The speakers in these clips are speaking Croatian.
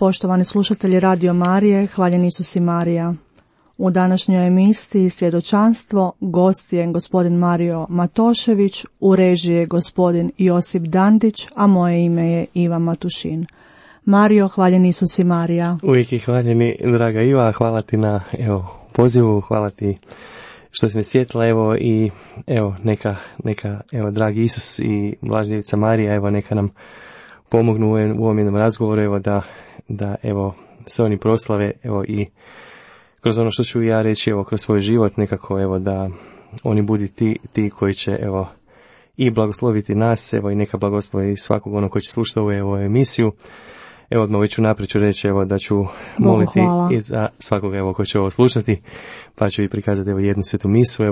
poštovani slušatelji Radio Marije, hvaljen Isus i Marija. U današnjoj emisiji Svjedočanstvo gost je gospodin Mario Matošević, u režiji je gospodin Josip Dandić, a moje ime je Iva Matušin. Mario, hvaljen Isus i Marija. Uvijek je hvaljeni, draga Iva, hvala ti na pozivu, hvala ti što si me sjetila, i neka dragi Isus i Blažena Djevica Marija, neka nam pomognu u ovom jednom razgovoru, da se oni proslave, i kroz ono što ću ja reći, kroz svoj život, nekako, da oni budu ti koji će, i blagosloviti nas, i neka blagoslovi svakog onog koji će slušati ovu emisiju. Odmah već unaprijed ću reći, da ću moliti i za svakog, koji će ovo slušati, pa ću i prikazati, jednu svetu misu,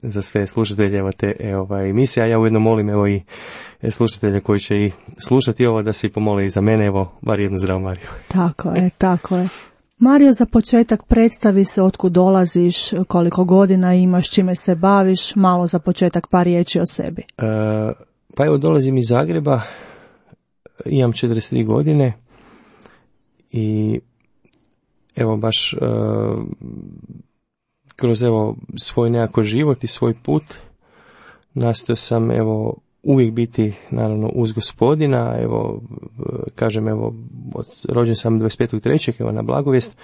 za sve slušatelje, te, emisije, a ja ujedno molim, i slušatelje koji će i slušati ovo, da se i pomole i za mene, bar jednu zdravu Mariju. Tako je. Mario, za početak predstavi se otkud dolaziš, koliko godina imaš, čime se baviš, malo za početak par riječi o sebi. Dolazim iz Zagreba, imam 43 godine i baš kroz svoj nekako život i svoj put nastojao sam uvijek biti naravno uz Gospodina, kažem rođen sam 25.3. Na Blagovijest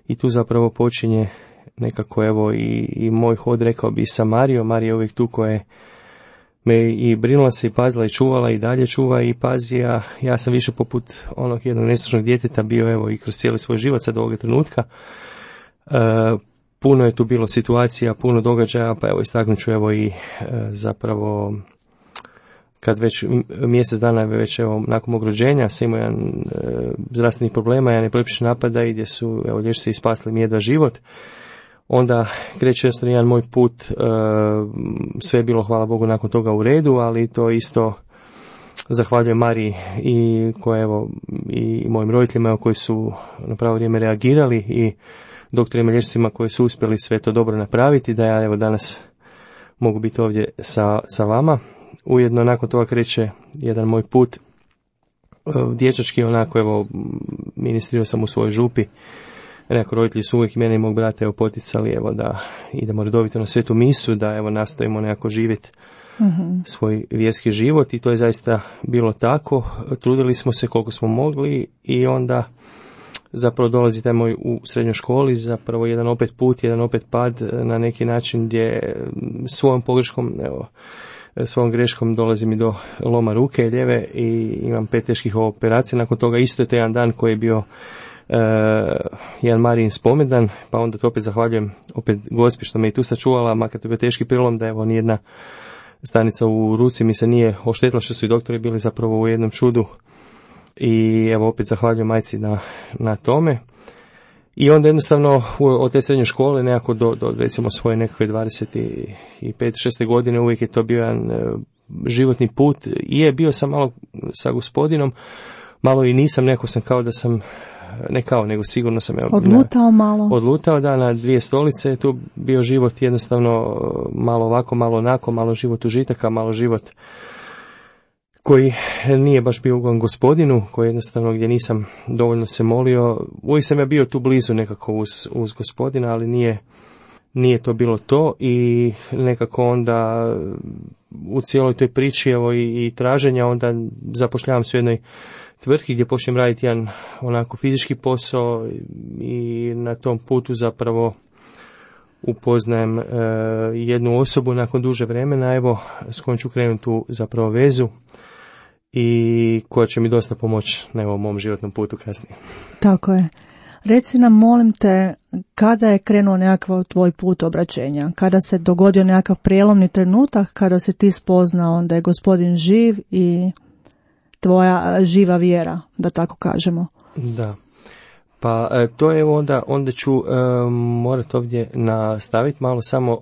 i tu zapravo počinje nekako i moj hod, rekao bi, sa Marijom. Marija je uvijek tu koja me i brinula se i pazila i čuvala i dalje čuva i pazi, a ja sam više poput onog jednog neslušnog djeteta bio i kroz cijeli svoj život sad do ovoga trenutka. Puno je tu bilo situacija, puno događaja, pa istaknut ću i zapravo kad već mjesec dana već nakon mog rođenja sam imao jedan zdravstvenih problema, jedan epileptični napada i gdje su liječnici spasili mi jedva život. Onda kreće jednostavno jedan moj put, sve je bilo, hvala Bogu, nakon toga u redu, ali to isto zahvaljujem Mariji i koja i mojim roditeljima koji su na pravo vrijeme reagirali i doktorima, liječnicima koji su uspjeli sve to dobro napraviti, da ja danas mogu biti ovdje sa vama. Ujedno nakon toga kreće jedan moj put dječački, ministrirao sam u svojoj župi. Nekako roditelji su uvijek mene i mog brata poticali da idemo redovito na svetu misu, da nastojimo nekako živjeti svoj vjerski život i to je zaista bilo tako. Trudili smo se koliko smo mogli i onda zapravo dolazi taj moj u srednjoj školi, zapravo jedan opet put, jedan opet pad na neki način gdje svojom pogreškom, svojom greškom dolazi mi do loma ruke lijeve i imam 5 teških operacija. Nakon toga isto je to jedan dan koji je bio jedan Marijin spomendan, pa onda to opet zahvaljujem opet Gospi što me i tu sačuvala, makar to je bio teški prilom, da nijedna stanica u ruci mi se nije oštetila, što su i doktori bili zapravo u jednom čudu i opet zahvaljujem majci na tome. I onda jednostavno od te srednje škole nekako do recimo svoje nekakve 25-6 godine uvijek je to bio jedan životni put i je bio sam malo sa Gospodinom, malo i nisam, neko sam kao da sam, nego sigurno sam odlutao na 2 stolice, tu bio život jednostavno malo ovako, malo onako, malo život užitaka, malo život koji nije baš bio ugodan Gospodinu, koji jednostavno gdje nisam dovoljno se molio. Uvijek sam ja bio tu blizu nekako uz Gospodina, ali nije to bilo to i nekako onda u cijeloj toj priči i traženja onda zapošljavam se u jednoj tvrtki gdje počnem raditi jedan onako fizički posao i na tom putu zapravo upoznajem jednu osobu nakon duže vremena, s kojom ću krenuti tu zapravo vezu i koja će mi dosta pomoći na mom životnom putu kasnije. Tako je. Reci nam, molim te, kada je krenuo nekakav tvoj put obraćenja? Kada se dogodio nekakav prijelomni trenutak, kada se ti spoznao da je Gospodin živ i tvoja živa vjera, da tako kažemo? Da. Pa to je onda ću morati ovdje nastaviti malo samo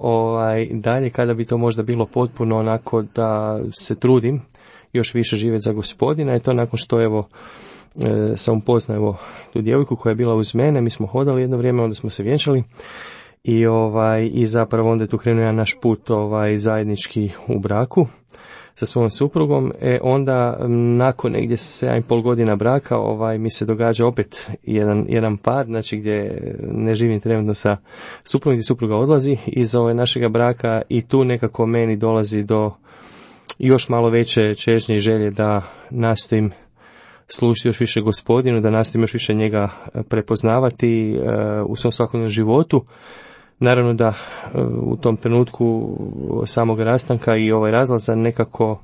dalje, kada bi to možda bilo potpuno onako da se trudim još više živjeti za Gospodina i to nakon što sam upoznao tu djevojku koja je bila uz mene, mi smo hodali jedno vrijeme, onda smo se vjenčali i zapravo onda je tu krenuo jedan naš put zajednički u braku sa svojom suprugom, onda nakon negdje 7,5 godina braka mi se događa opet jedan par, znači gdje ne živim trenutno sa suprugom, gdje supruga odlazi iz našega braka i tu nekako meni dolazi do još malo veće čežnje i želje da nastojim služiti još više Gospodinu, da nastojim još više njega prepoznavati u svom svakodnevnom životu. Naravno da u tom trenutku samog rastanka i razlaza nekako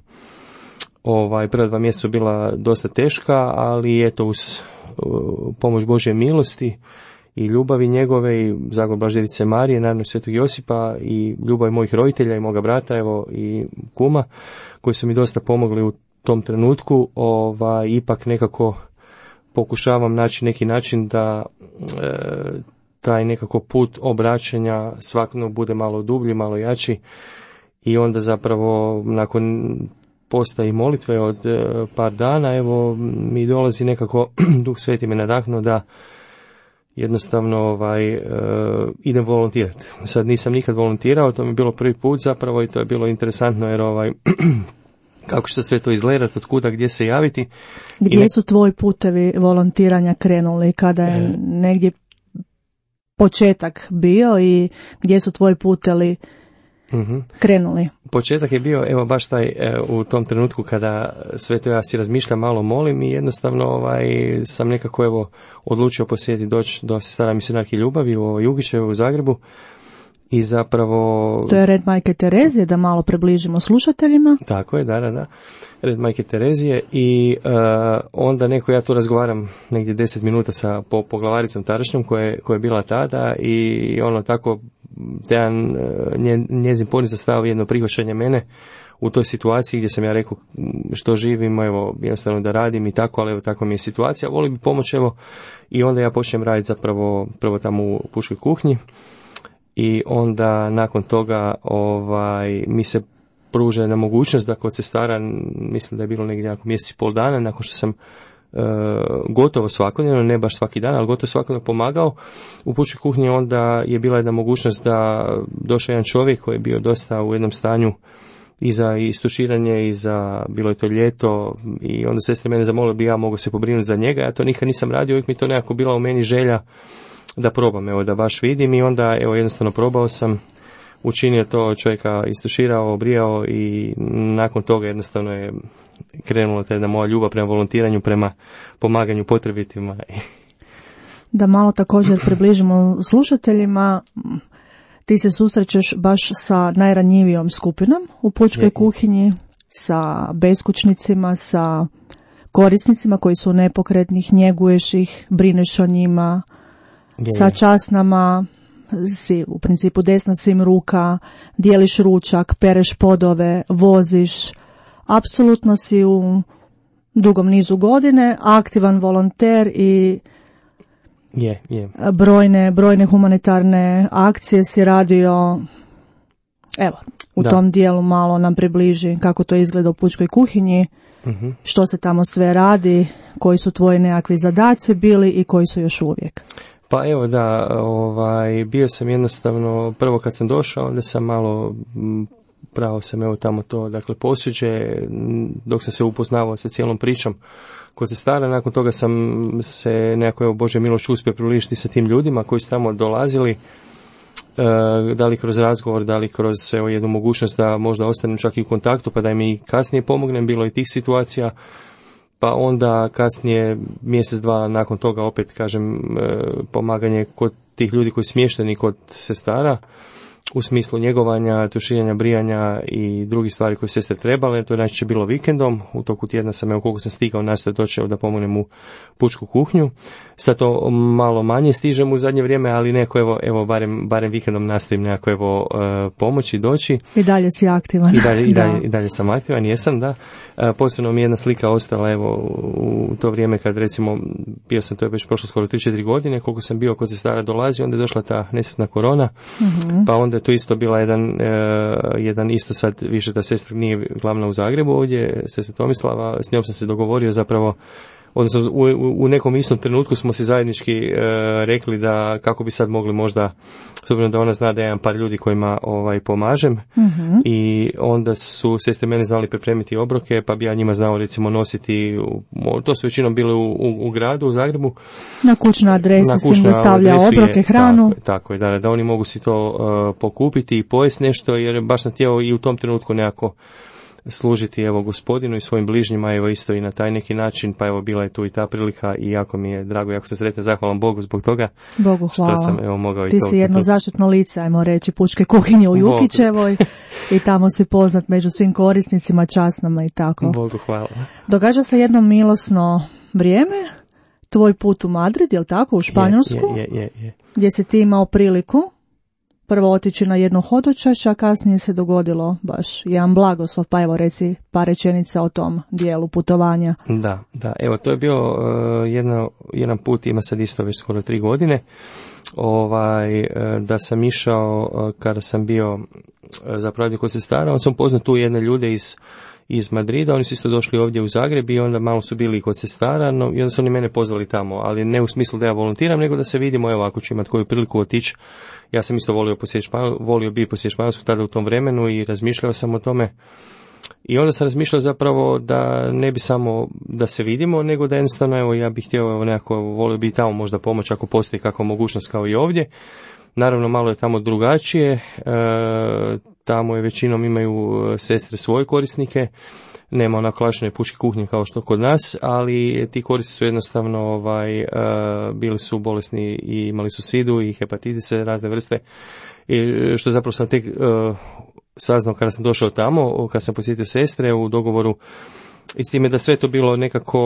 prva 2 mjeseca bila dosta teška, ali eto uz pomoć Božje milosti i ljubavi njegove i zagovor Blaževice Marije, naravno Svetog Josipa i ljubavi mojih roditelja i moga brata i kuma koji su mi dosta pomogli u tom trenutku, ipak nekako pokušavam naći neki način da taj nekako put obraćanja svakodnevno bude malo dublji, malo jači i onda zapravo nakon posta i molitve od par dana mi dolazi nekako Duh Sveti me nadahnuo da jednostavno idem volontirati. Sad nisam nikad volontirao, to mi je bilo prvi put zapravo i to je bilo interesantno jer kako će sve to izgledati, od kuda, gdje se javiti. Gdje su tvoji putevi volontiranja krenuli, kada je negdje početak bio i gdje su tvoji putevi krenuli? Početak je bio, baš taj, u tom trenutku kada sve to ja si razmišljam, malo molim i jednostavno sam nekako odlučio posjetiti doći do sestara misionarke ljubavi u Jugićevoj u Zagrebu. I zapravo... To je Red Majke Terezije, da malo približimo slušateljima. Tako je, da. Red Majke Terezije i onda ja tu razgovaram negdje 10 minuta sa poglavaricom tadašnjom koja je bila tada i tako njezin poniz stavio jedno prihvaćanje mene u toj situaciji gdje sam ja rekao što živim, jednostavno da radim i tako, ali takva mi je situacija, volim bi pomoći, i onda ja počnem raditi zapravo prvo tamo u pučkoj kuhinji. I onda nakon toga mi se pruža jedna mogućnost da kod sestara, mislim da je bilo negdje mjesec i pol dana, nakon što sam gotovo svakodnevno, ne baš svaki dan, ali gotovo svakodnevno pomagao u pučkoj kuhinji, onda je bila jedna mogućnost da došao jedan čovjek koji je bio dosta u jednom stanju i za istuširanje i za, bilo je to ljeto, i onda sestre mene zamolile bi ja mogao se pobrinuti za njega. Ja to nikad nisam radio, uvijek mi to nekako bila u meni želja da probam, da baš vidim, i onda jednostavno probao sam, učinio to, čovjeka istuširao, obrijao i nakon toga jednostavno je krenula ta jedna moja ljubav prema volontiranju, prema pomaganju potrebitima. Da malo također približimo slušateljima, ti se susrećeš baš sa najranjivijom skupinom u pučkoj kuhinji, sa beskućnicima, sa korisnicima koji su nepokretnih, njeguješ ih, brineš o njima, sa časnama, si u principu desna svim ruka, dijeliš ručak, pereš podove, voziš, apsolutno si u dugom nizu godine aktivan volonter i brojne humanitarne akcije si radio. Evo, u tom dijelu malo nam približi kako to izgleda u pučkoj kuhinji, što se tamo sve radi, koji su tvoji nekakvi zadaci bili i koji su još uvijek. Pa evo da, bio sam jednostavno, prvo kad sam došao, onda sam malo, pravo sam tamo to, dakle posuđe, dok sam se upoznavao sa cijelom pričom kod sestara, nakon toga sam se nekako, Bože milošću, uspio približiti sa tim ljudima koji su tamo dolazili, da li kroz razgovor, da li kroz jednu mogućnost da možda ostanem čak i u kontaktu, pa da mi kasnije pomognem, bilo i tih situacija. Pa onda kasnije, mjesec, dva nakon toga, opet kažem, pomaganje kod tih ljudi koji su smješteni kod sestara, u smislu njegovanja, tuširanja, brijanja i drugih stvari koje sestre trebale. To je najčešće bilo vikendom. U toku tjedna sam, koliko sam stigao, nastojao doći da pomognem u pučku kuhinju. Sad to malo manje stižem u zadnje vrijeme, ali neko, evo barem vikendom nastojim nekako pomoći, doći. I dalje si aktivan. I dalje sam aktivan, jesam, da. Posebno mi je jedna slika ostala, u to vrijeme kad, recimo, bio sam, to je već prošlo skoro 3-4 godine, koliko sam bio kod sestara dolazi, onda je došla ta nesretna korona, pa onda je to isto bila jedan isto sad, više ta sestra nije glavna u Zagrebu ovdje, sestra Tomislava, s njom sam se dogovorio zapravo odnosno u nekom istom trenutku smo se zajednički rekli da kako bi sad mogli možda, s obzirom da ona zna da je jedan par ljudi kojima pomažem, i onda su sestre mene znali pripremiti obroke, pa bi ja njima znao recimo nositi, to su većinom bile u gradu, u Zagrebu. Na kućnoj adresi se dostavlja obroke, hranu. Tako je, da oni mogu si to pokupiti i pojesti nešto, jer baš sam htio i u tom trenutku nekako služiti evo gospodinu i svojim bližnjima, evo isto i na taj neki način, pa evo bila je tu i ta prilika i jako mi je drago, jako sam sretan, zahvalan Bogu zbog toga. Bogu hvala. Što sam evo mogao Ti si jedno zaštitno lice, ajmo reći, pučke kuhinje u Jukićevoj i tamo si poznat među svim korisnicima, časnama i tako. Bogu hvala. Događa se jedno milosno vrijeme, tvoj put u Madrid, jel tako, u Španjolsku? Je. Gdje si ti imao priliku prvo otići na jedno hodočašće, a kasnije se dogodilo baš jedan blagoslov, pa evo reci par rečenica o tom dijelu putovanja. Da, evo to je bio jedan put, ima sad isto već skoro 3 godine, da sam išao kada sam bio zapravo kod sestara, onda sam poznao tu jedne ljude iz Madrida, oni su isto došli ovdje u Zagreb i onda malo su bili kod sestara, no, i onda su oni mene pozvali tamo, ali ne u smislu da ja volontiram, nego da se vidimo, evo ako ću imati koju priliku otići. Ja sam isto volio bi posjetiti Španjolsku tada u tom vremenu i razmišljao sam o tome. I onda sam razmišljao zapravo da ne bi samo da se vidimo, nego da jednostavno, evo ja bih htio nekako, volio bi tamo možda pomoć ako postoji kakva mogućnost kao i ovdje. Naravno, malo je tamo drugačije, tamo je većinom imaju sestre svoje korisnike, nema onako klasične pučke kuhnje kao što kod nas, ali ti korisnici su jednostavno bili su bolesni i imali su sidu i hepatitise razne vrste, i što zapravo sam tek saznao kada sam došao tamo, kada sam posjetio sestre u dogovoru. I s time da sve to bilo nekako,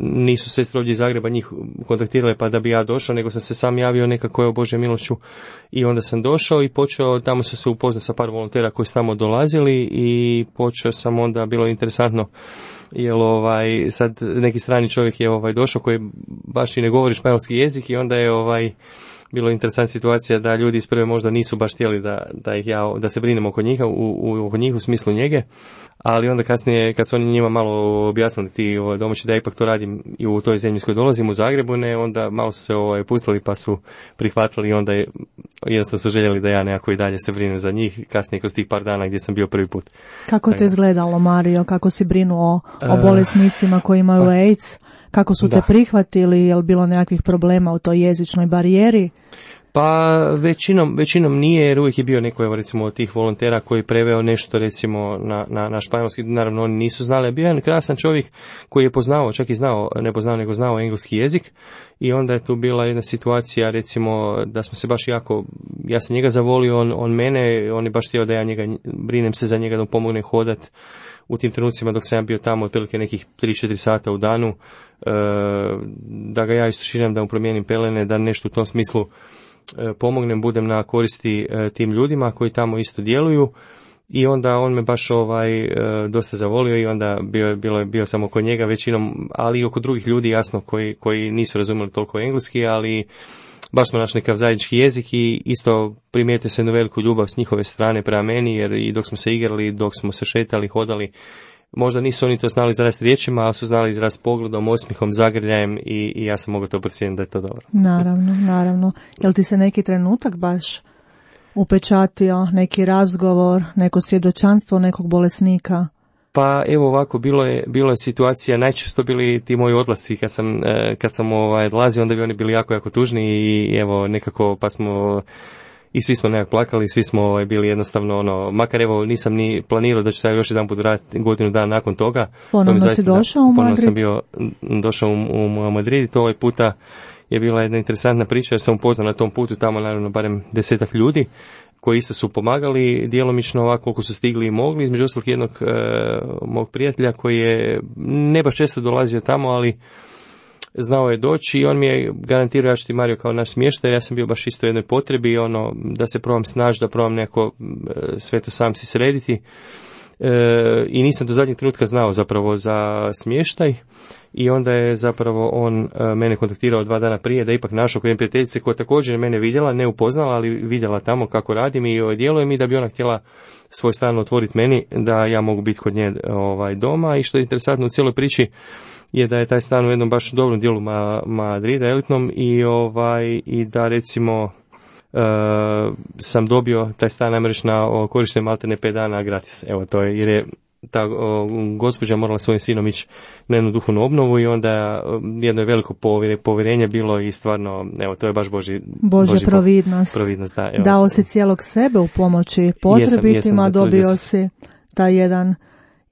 nisu sestre ovdje iz Zagreba njih kontaktirale pa da bi ja došao, nego sam se sam javio nekako o Božje milošću i onda sam došao i počeo, tamo sam se upoznao sa par volontera koji su tamo dolazili i počeo sam onda, bilo interesantno, jer sad neki strani čovjek je došao koji baš i ne govori španjolski jezik i onda je bilo interesantna situacija da ljudi isprve možda nisu baš htjeli da se brinemo oko njih u smislu njege, ali onda kasnije kad su oni njima malo objasnili ti domaći da ipak to radim i u toj zemlji s kojoj dolazim u Zagrebu, onda malo su se pustili pa su prihvatili i onda jednostavno su željeli da ja nekako i dalje se brinem za njih kasnije kroz tih par dana gdje sam bio prvi put. Kako to izgledalo, Mario? Kako si brinuo o bolesnicima koji imaju AIDS? Kako su te prihvatili? Je li bilo nekakvih problema u toj jezičnoj barijeri? Pa većinom nije, jer uvijek je bio neko, evo recimo od tih volontera koji preveo nešto recimo na španjolski, naravno oni nisu znali, bio je jedan krasan čovjek koji je poznao, čak i znao engleski jezik, i onda je tu bila jedna situacija recimo da smo se baš ja sam njega zavolio, on mene, on je baš htio da ja brinem se za njega, da mu pomogne hodat u tim trenucima dok sam ja bio tamo otprilike nekih 3-4 sata u danu, da ga ja istuširam, da mu promijenim pelene, da nešto u tom smislu pomognem, budem na koristi tim ljudima koji tamo isto djeluju, i onda on me baš dosta zavolio i onda bio sam oko njega većinom, ali i oko drugih ljudi jasno koji nisu razumjeli toliko engleski, ali baš smo našli nekakav zajednički jezik i isto primijetio se jednu veliku ljubav s njihove strane prema meni, jer i dok smo se igrali, dok smo se šetali, hodali, možda nisu oni to znali izraziti riječima, ali su znali izraziti pogledom, osmihom, zagrljajem i ja sam mogao to procijeniti da je to dobro. Naravno. Jel ti se neki trenutak baš upečatio, neki razgovor, neko svjedočanstvo nekog bolesnika? Pa evo ovako, bilo je situacija, najčešće to bili ti moji odlasci kad sam odlazio, onda bi oni bili jako tužni i evo nekako pa smo i svi smo nekako plakali, svi smo bili jednostavno makar evo nisam ni planirao da ću sad još jedan put vratiti godinu dana nakon toga. Ponovno si došao u Madrid? Ponovno sam došao u Madrid i to ovaj puta je bila jedna interesantna priča jer sam upoznao na tom putu tamo naravno barem 10 ljudi koji isto su pomagali djelomično ovako koliko su stigli i mogli, između ostalog jednog mog prijatelja koji je ne baš često dolazio tamo, ali znao je doći i on mi je garantirao, ja ću ti Mario kao naš smještaj, ja sam bio baš isto u jednoj potrebi, da se probam snaći, da probam nekako sve to sam si srediti i nisam do zadnjeg trenutka znao zapravo za smještaj i onda je zapravo on mene kontaktirao 2 dana prije da ipak našao kod jedne prijateljice koja također mene vidjela, ne upoznala, ali vidjela tamo kako radim i djelujem i da bi ona htjela svoj stan otvoriti meni, da ja mogu biti kod nje doma i što je interesantno u cijeloj priči, je da je taj stan u jednom baš dobrom dijelu Madrida, elitnom, i da recimo sam dobio taj stan, ajmo reći, na korištenje maltene 5 dana gratis. Evo, to je, jer je ta gospođa morala svojim sinom ići na jednu duhovnu obnovu i onda jedno je veliko povjerenje bilo i stvarno, evo, to je baš Božja providnost. Da, evo. Dao si cijelog sebe u pomoći potrebitima, jesam, dobio si taj jedan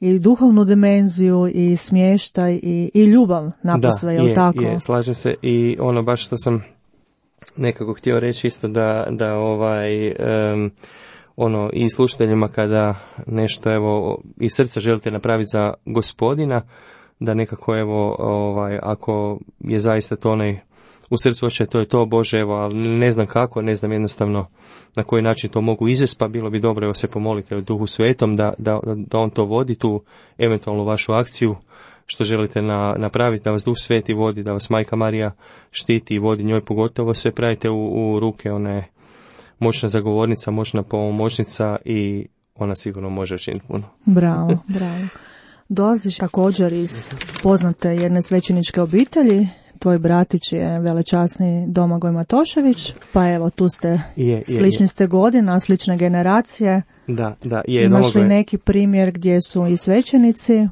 i duhovnu dimenziju i smještaj i ljubav napasve, je li tako? Da, slažem se, i ono baš što sam nekako htio reći isto da i slušateljima kada nešto evo iz srca želite napraviti za Gospodina, da nekako evo ako je zaista to onaj u srcu oče, to je to, Bože, evo, ali ne znam kako, ne znam jednostavno na koji način to mogu izvesti, pa bilo bi dobro evo se pomolite o Duhu Svetom da on to vodi, tu eventualnu vašu akciju što želite napraviti, da vas Duh Sveti vodi, da vas Majka Marija štiti i vodi, njoj pogotovo sve pravite u ruke, ona je moćna zagovornica, moćna pomoćnica i ona sigurno može učiniti puno. Bravo. Dolaziš također iz poznate jedne svećeničke obitelji, tvoj bratić je velečasni Domagoj Matošević, pa evo tu ste, slični ste godina, slične generacije. Da, imaš li neki primjer gdje su i svećenici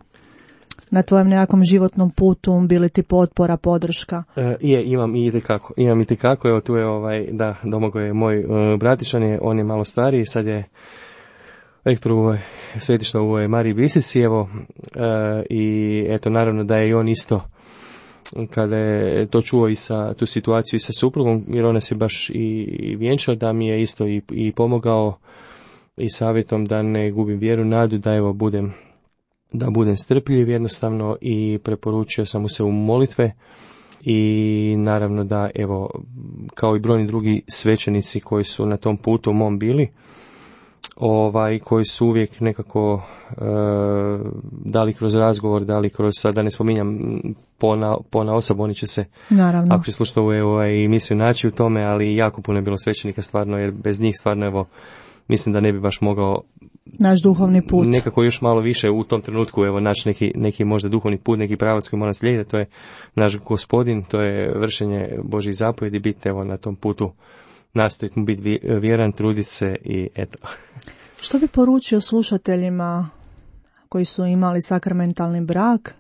na tvojem nekakvom životnom putu bili ti potpora, podrška? Imam itekako, evo tu je Domagoj je moj bratić, on je malo stariji, sad je rektor u svetišta u Mariji Bistrici, evo, i eto naravno da je i on isto kada je to čuo i sa tu situaciju i sa suprugom, jer ona se baš i vjenčao, da mi je isto i pomogao i savjetom da ne gubim vjeru, nadu, da evo budem strpljiv jednostavno, i preporučio sam mu se u molitve i naravno da evo kao i brojni drugi svećenici koji su na tom putu mom bili, koji su uvijek nekako dali kroz razgovor, dali kroz, sad da ne spominjam pona osoba, oni će se, naravno, ako će slušati ovu emisiju, naći u tome, ali jako puno je bilo svećenika stvarno, jer bez njih stvarno evo mislim da ne bi baš mogao naš duhovni put nekako još malo više u tom trenutku evo naći neki možda duhovni put, neki pravac koji mora slijediti, to je naš Gospodin, to je vršenje Božjih zapovjedi, biti evo na tom putu, nastojiti mu biti vjeran, truditi se i eto. Što bi poručio slušateljima koji su imali sakramentalni brak,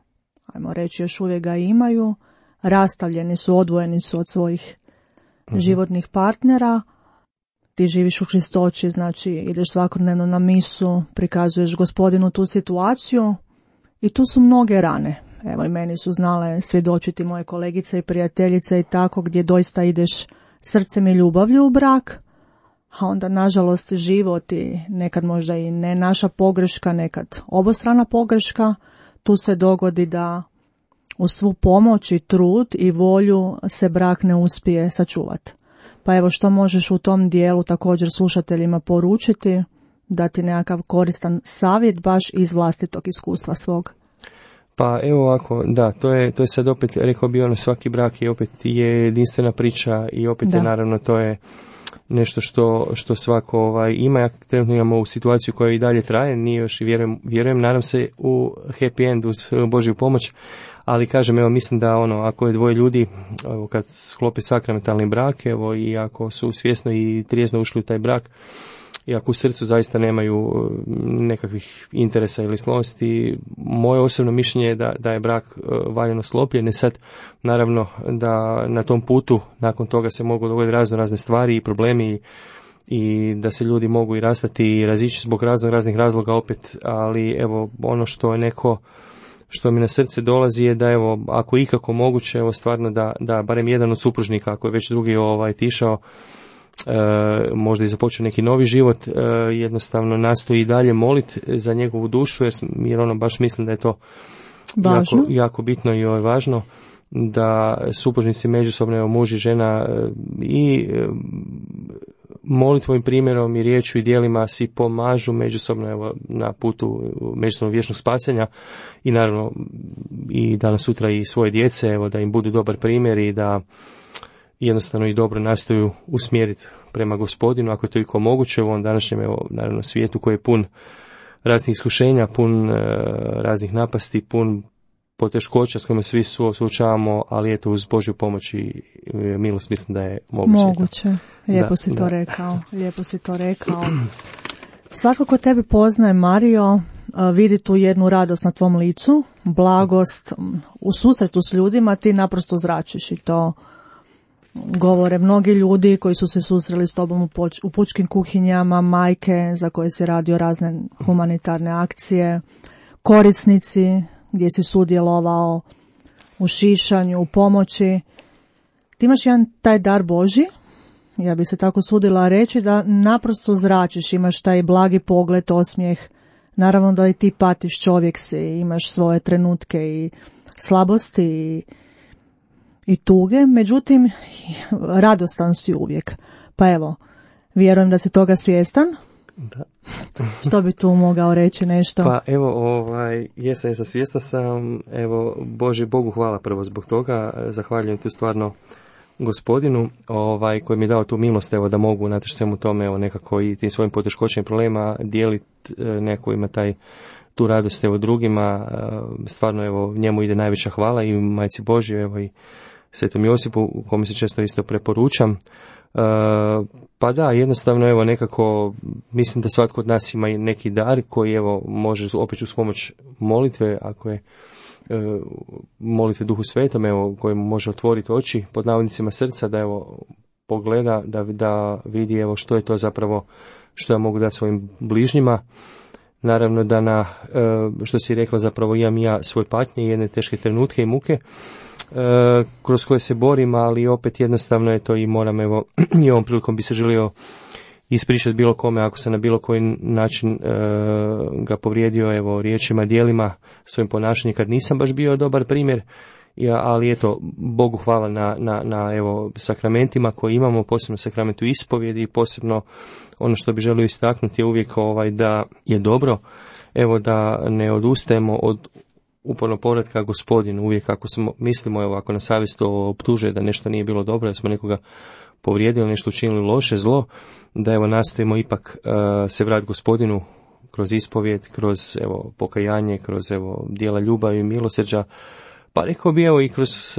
ajmo reći još uvijek ga imaju, rastavljeni su, odvojeni su od svojih životnih partnera, ti živiš u čistoći, znači ideš svakodnevno na misu, prikazuješ Gospodinu tu situaciju i tu su mnoge rane. Evo i meni su znale svjedočiti moje kolegice i prijateljice i tako, gdje doista ideš srcem i ljubavlju u brak, a onda nažalost život i nekad možda i ne naša pogreška, nekad obostrana pogreška, tu se dogodi da uz svu pomoć i trud i volju se brak ne uspije sačuvati. Pa evo što možeš u tom dijelu također slušateljima poručiti, dati nekakav koristan savjet baš iz vlastitog iskustva svog? Pa evo ovako, da, to je sad opet, rekao bi svaki brak je opet jedinstvena priča i opet je naravno to je nešto što svako ima. Ja trenutno imamo u situaciju koja i dalje traje, nije još i vjerujem, nadam se u happy end uz Božju pomoć, ali kažem, evo mislim da ako je dvoje ljudi, kad sklope sakramentalni brak, evo i ako su svjesno i trijezno ušli u taj brak, i ako u srcu zaista nemaju nekakvih interesa ili slonosti, moje osobno mišljenje je da je brak valjano sklopljen. Sad, naravno, da na tom putu, nakon toga se mogu dogoditi razne stvari i problemi i da se ljudi mogu i rastati i razići zbog raznih razloga opet, ali evo, ono što je što mi na srce dolazi je da evo, ako ikako moguće, evo stvarno da barem jedan od supružnika, ako je već drugi tišao, možda i započeo neki novi život, jednostavno nastoji i dalje moliti za njegovu dušu, jer baš mislim da je to jako bitno i važno, da supružnici međusobno, evo, muž i žena, i molitvom, primjerom i riječju i djelima si pomažu međusobno, evo, na putu međusobnog vječnog spasenja, i naravno i danas sutra i svoje djece, evo, da im budu dobar primjer i da jednostavno i dobro nastoju usmjeriti prema Gospodinu, ako je to iko moguće u ovom današnjem, evo, naravno, svijetu koji je pun raznih iskušenja, pun raznih napasti, pun poteškoća s kojima svi suočavamo, ali eto uz Božju pomoć i milost mislim da je moguće. Moguće. Lijepo si to rekao. Lijepo si to rekao. Svako ko tebe poznaje, Mario, vidi tu jednu radost na tvom licu, blagost, u susretu s ljudima ti naprosto zračiš i to govore mnogi ljudi koji su se susreli s tobom u pučkim kuhinjama, majke za koje si radio razne humanitarne akcije, korisnici gdje si sudjelovao u šišanju, u pomoći. Ti imaš jedan taj dar Božji, ja bi se tako sudila reći, da naprosto zračiš, imaš taj blagi pogled, osmijeh. Naravno da i ti patiš, čovjek si, imaš svoje trenutke i slabosti i tuge, međutim radostan si uvijek. Pa evo, vjerujem da si toga svjestan. Da. Što bi tu mogao reći nešto? Pa evo, jesam svjestan sam, evo, Bogu hvala prvo zbog toga, zahvaljujem tu stvarno Gospodinu, koji mi je dao tu milost, evo, da mogu unatoč svemu tome, evo, nekako i tim svojim poteškoćama i problema dijeliti, neko ima tu radost, evo, drugima, stvarno, evo, njemu ide najveća hvala i Majci Božjoj, evo, i Svetom Josipu, kome se često isto preporučam. Pa da, jednostavno, evo, nekako mislim da svatko od nas ima neki dar koji, evo, može opet uz pomoć molitve, ako je molitve Duhu Svetom, evo, koji mu može otvoriti oči pod navodnicima srca, da evo pogleda, da vidi, evo, što je to zapravo što ja mogu dati svojim bližnjima. Naravno da što si rekla, zapravo imam ja svoje patnje i jedne teške trenutke i muke kroz koje se borim, ali opet jednostavno je to i moram, evo, i ovom prilikom bi se želio ispričati bilo kome ako se na bilo koji način ga povrijedio, evo, riječima, djelima, svojim ponašanjem kad nisam baš bio dobar primjer, ali eto, Bogu hvala na evo, sakramentima koje imamo, posebno sakramentu ispovjedi i posebno ono što bi želio istaknuti je uvijek da je dobro, evo, da ne odustajemo od uporno povratka Gospodinu, uvijek ako mislimo, evo, ako nas savjest optužuje da nešto nije bilo dobro, da smo nekoga povrijedili, nešto učinili loše, zlo, da evo nastojimo ipak se vratiti Gospodinu kroz ispovjed, kroz evo pokajanje, kroz evo djela ljubavi i milosrđa, pa rekao bi evo i kroz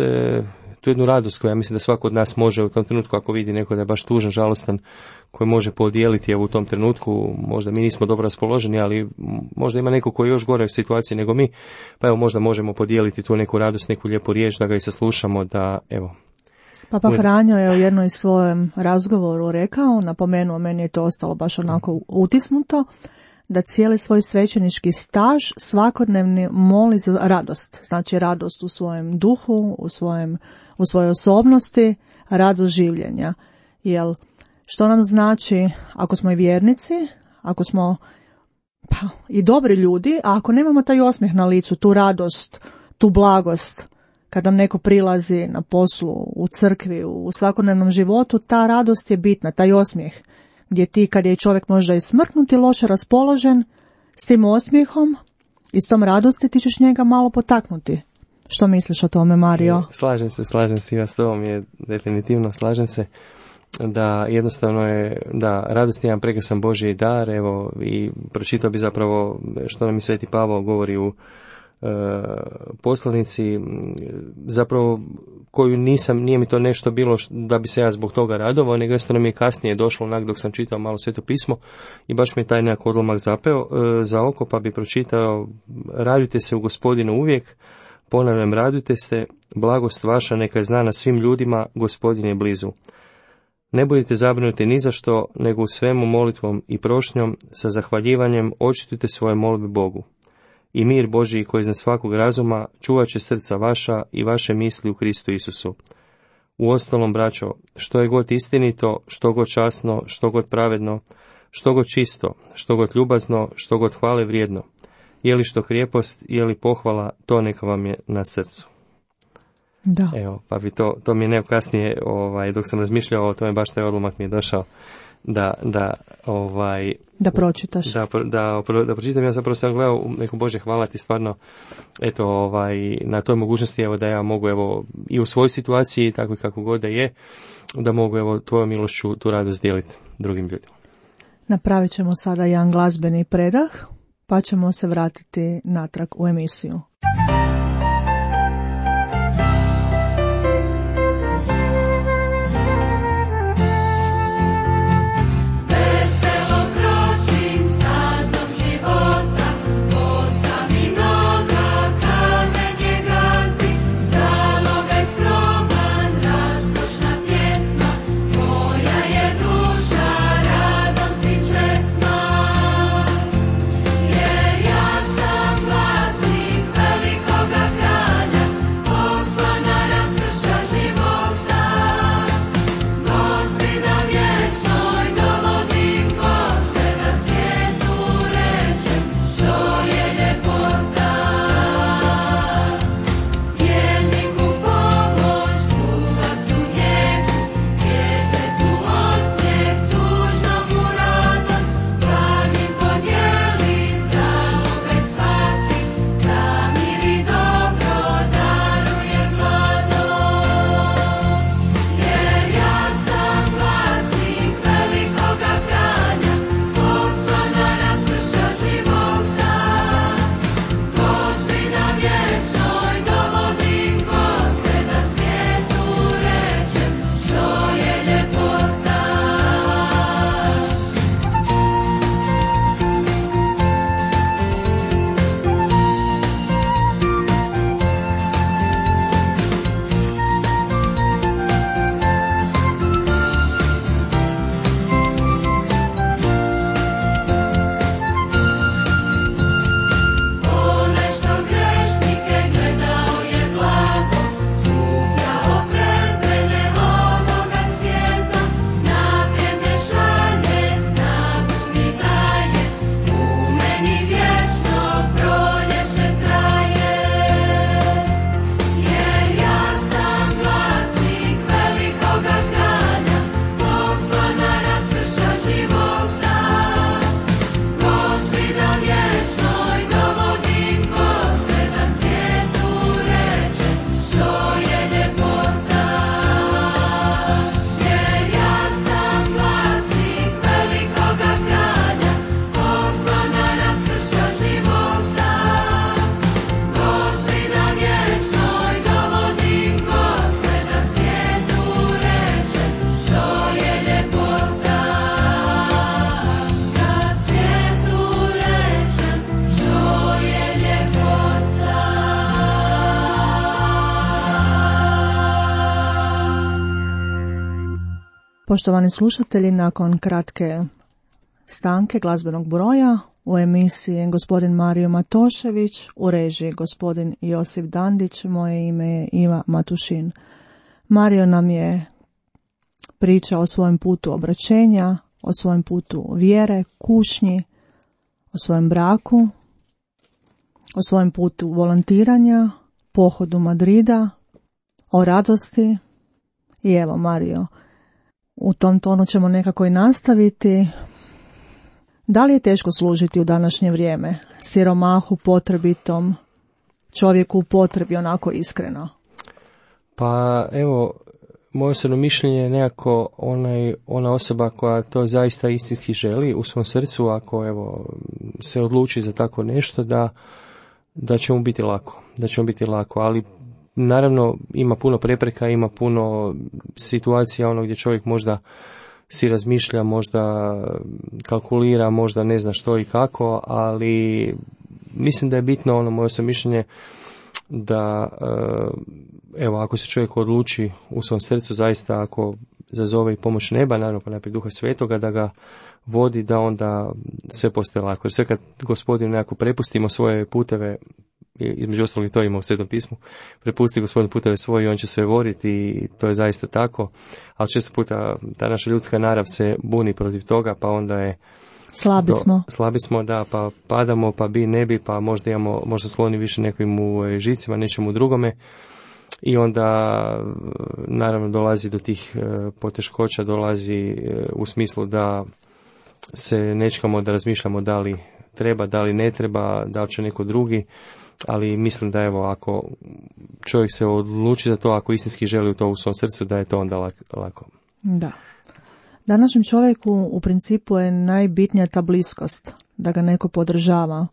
tu jednu radost koju ja mislim da svako od nas može u tom trenutku, ako vidi neko da je baš tužan, žalostan, koji može podijeliti evo u tom trenutku, možda mi nismo dobro raspoloženi, ali možda ima neko koji je još gore u situaciji nego mi, pa evo možda možemo podijeliti tu neku radost, neku lijepu riječ, da ga i saslušamo, da evo. Papa Franjo je u jednoj svojem razgovoru rekao, napomenuo, meni je to ostalo baš onako utisnuto, da cijeli svoj svećenički staž svakodnevni moli za radost. Znači radost u svojem duhu, u svojoj osobnosti, radost življenja. Jel, što nam znači ako smo i vjernici, ako smo i dobri ljudi, a ako nemamo taj osmijeh na licu, tu radost, tu blagost, kad nam neko prilazi na poslu, u crkvi, u svakodnevnom životu, ta radost je bitna, taj osmijeh. Gdje ti, kad je čovjek možda i smrknuti, loše raspoložen, s tim osmijehom i s tom radosti ti ćeš njega malo potaknuti. Što misliš o tome, Mario? Slažem se, ja s tobom je definitivno, slažem se da jednostavno je, da radost je jedan prekrasan Božji dar, evo, i pročitao bi zapravo što nam i Sveti Pavao govori u poslanici, zapravo koju nije mi to nešto bilo da bi se ja zbog toga radovao, nego jednostavno mi je kasnije došlo onak dok sam čitao malo Sveto pismo i baš mi je taj nekak odlomak zapeo za oko, pa bi pročitao: radujte se u Gospodinu uvijek, ponavljam, radujte se, blagost vaša neka je znana svim ljudima, Gospodin je blizu. Ne budite zabrinuti ni za što, nego u svemu molitvom i prošnjom sa zahvaljivanjem očitujte svoje molbe Bogu. I mir Božji koji iznad svakog razuma čuvat će srca vaša i vaše misli u Kristu Isusu. Uostalom, braćo, što je god istinito, što god časno, što god pravedno, što god čisto, što god ljubazno, što god hvale vrijedno, je li što krijepost, je li pohvala, to neka vam je na srcu. Da. Evo, pa bi to mi je kasnije, dok sam razmišljao o tome, baš taj odlomak mi je došao da pročitaš. Da pročitam. Ja zapravo sam gledao neko Bože, hvala ti stvarno, eto, na toj mogućnosti, evo, da ja mogu, evo, i u svojoj situaciji, tako i kako god da je, da mogu, evo, tvojom milošću tu radost dijeliti drugim ljudima. Napravit ćemo sada jedan glazbeni predah, pa ćemo se vratiti natrag u emisiju. Poštovani slušatelji, nakon kratke stanke glazbenog broja u emisiji gospodin Mario Matošević, u režiji gospodin Josip Dandić, moje ime je Iva Matušin. Mario nam je pričao o svojem putu obraćenja, o svojem putu vjere, kušnji, o svojem braku, o svojem putu volontiranja, pohodu Madrida, o radosti. I evo, Mario, u tom tonu ćemo nekako i nastaviti. Da li je teško služiti u današnje vrijeme? Siromahu, potrebitom, čovjeku u potrebi, onako iskreno. Pa evo, moje osobno mišljenje je nekako ona osoba koja to zaista istinski želi u svom srcu, ako evo se odluči za tako nešto, da će mu biti lako. Da će mu biti lako, ali naravno ima puno prepreka, ima puno situacija gdje čovjek možda si razmišlja, možda kalkulira, možda ne zna što i kako, ali mislim da je bitno moje osobno mišljenje da evo, ako se čovjek odluči u svom srcu, zaista ako zazove i pomoć neba, naravno pa najprije Duha Svetoga, da ga vodi, da onda sve postaje lako. Jer sve kad Gospodinu nekako prepustimo svoje puteve, između ostalog to ima u Svetom pismu, prepusti Gospodinu puteve svoje i on će sve voditi, i to je zaista tako, ali često puta ta naša ljudska narav se buni protiv toga, pa onda je slabi smo, da, pa padamo, pa bi, ne bi, pa možda skloni više nekim u žicima, nečemu drugome, i onda naravno dolazi do tih poteškoća, dolazi u smislu da se nečekamo, da razmišljamo da li treba, da li ne treba, da li će neko drugi, ali mislim da evo, ako čovjek se odluči za to, ako istinski želi u to u svom srcu, da je to onda lako. Da. Današnjem čovjeku u principu je najbitnija ta bliskost, da ga neko podržava,